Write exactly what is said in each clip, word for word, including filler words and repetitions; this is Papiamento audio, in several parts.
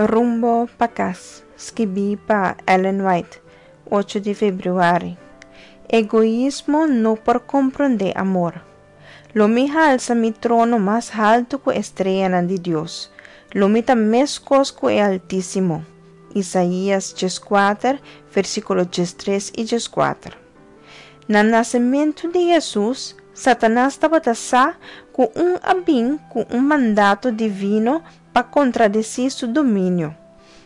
Rumbo pa Kas, skibí pa Ellen White, ocho di febrüari. Egoismo no por komprondé amor. Lo mi halsa mi trono mas haltu ku e streanan di Dios. Lo mi ta meskos ku e Altísimo. Isaías dieskuater, versíkulo diestres i dieskuater. Na nasementu di Hesus, Satanas tabata sa ku un a bin ku un mandato divino pa kontradesí su dominio.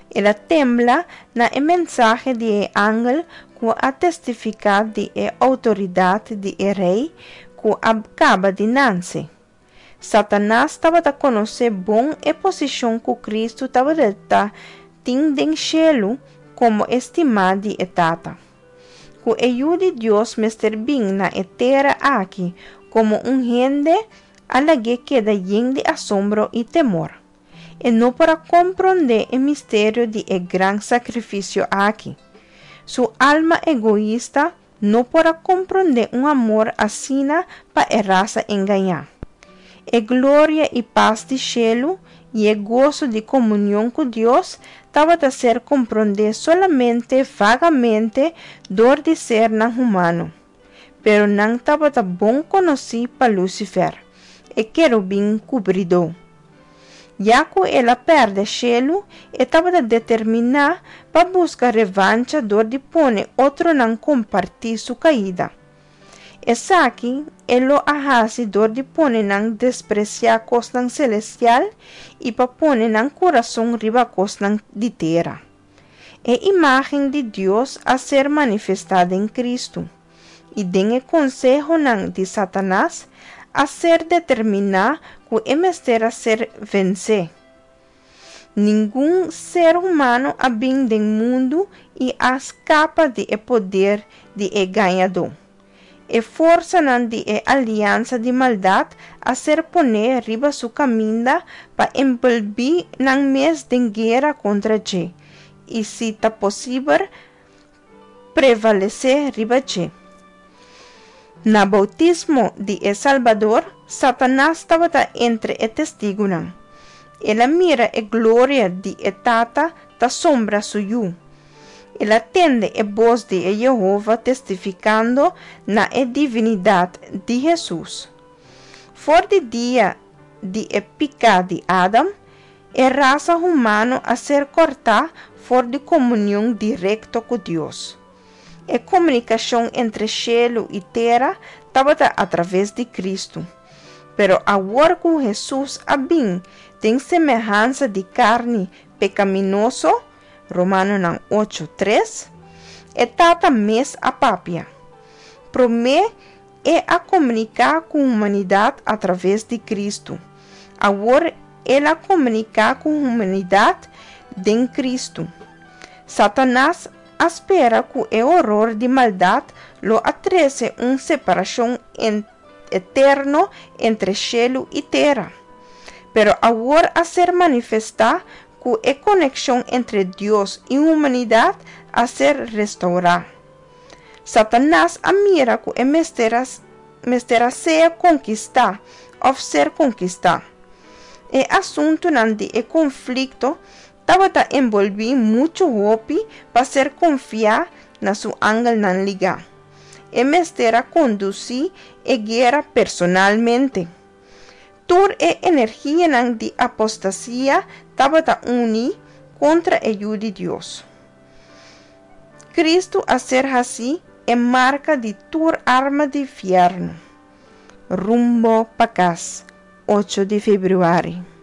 El a tembla na e mensahe di e angel ku a testifiká di e outoridat di e Rei ku a kaba di nase. Satanas tabata konosé bon e posishon ku Kristu tabata tin den shelu komo e stimá di e Tata. Ku e Yu di Dios mester bin na e tera aki komo un hende a lag'é keda yen di asombro i temor. E no por a komprondé e misterio di e gran sakrifisio aki. Su alma egoista no por a komprondé un amor asina pa e rasa engañá. E gloria i pas di shelu i e goso di komunion ku Dios tabata ser komprondé solamente vagamente dor di sernan humano, pero nan tabata bon konosí pa Lucifer, e kerubin kubridó. Ya ku el a pèrdè shelu, e tabata determiná pa buska revancha dor di pone otronan kompartí su kaida. Esaki e lo a hasi dor di pone nan despresiá kosnan selestial i pa pone nan kurason riba kosnan di tera. E imágen di Dios a ser manifestá den Kristu, i den e konsehonan di Satanas a ser determiná ku e mester a ser vensé. Ningun ser humano a bin den mundu i a skapa di e poder di e gañadó. E forsanan di e aliansa di maldat a ser poné riba su kaminda pa enbolbí nan mes den guera kontra dje, i si ta posibel, prevalesé riba dje. Na boutismo di e Salbador, Satanas tabata entre e testigunan. El a mira e gloria di e Tata ta sombra su Yu. El a tende e bos di e Yehova testifikando na e divinidat di Hesus. For di dia di e piká di Adam, e rasa humano a ser kòrtá for di komunion direkto ku Dios. E komunikashon entre shelu i tera tabata atraves di Kristu. Pero awor ku Hesus a bin den semehansa di karni pekaminoso, Romanonan ocho, tres, e Tata mes a papia. Promé E a komuniká ku humanidat atraves di Kristu. Awor El a komuniká ku humanidat den Kristu. Satanas a spera ku e horor di maldat lo a trese un separashon eterno entre shelu i tera. Pero awor a ser manifestá ku e konekshon entre Dios i humanidat a ser restourá. Satanas a mira ku e mester a mester a sea konkistá òf ser konkistá. E asuntunan di e konflikto tabata enbolbí muchu hopi pa ser konfiá na su angelnan ligá. E mester a kondusí e guera personalmente. Tur e energianan di apostasia tabata uní kontra e Yu di Dios. Kristu a ser hasí e marka di tur arma di fièrnu. Rumbo pa Kas, ocho di febrüari.